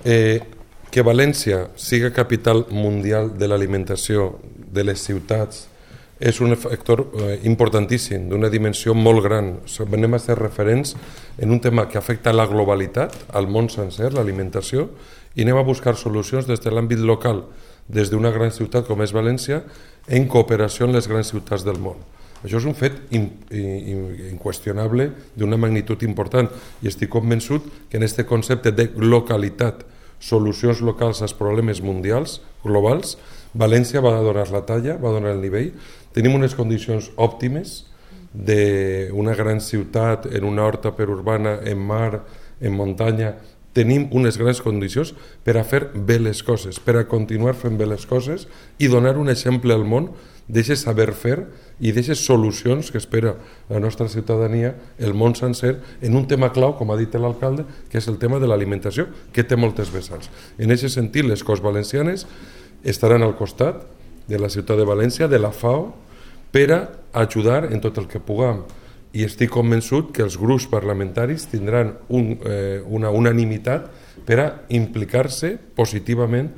Que València siga capital mundial de l'alimentació de les ciutats és un factor importantíssim, d'una dimensió molt gran. Anem a ser referents en un tema que afecta la globalitat, al món sencer, l'alimentació, i anem a buscar solucions des de l'àmbit local, des d'una gran ciutat com és València, en cooperació amb les grans ciutats del món. Això és un fet inqüestionable d'una magnitud important i estic convençut que en aquest concepte de localitat, solucions locals als problemes mundials, globals, València va donar la talla, va donar el nivell. Tenim unes condicions òptimes d'una gran ciutat en una horta perurbana, en mar, en muntanya. Tenim unes grans condicions per a fer bé les coses, per a continuar fent bé les coses i donar un exemple al món d'aquest saber fer i d'aquestes solucions que espera la nostra ciutadania, el món sencer, en un tema clau, com ha dit l'alcalde, que és el tema de l'alimentació, que té moltes vessants. En aquest sentit, les Corts Valencianes estaran al costat de la ciutat de València, de la FAO, per a ajudar en tot el que puguem. I estic convençut que els grups parlamentaris tindran una unanimitat per a implicar-se positivament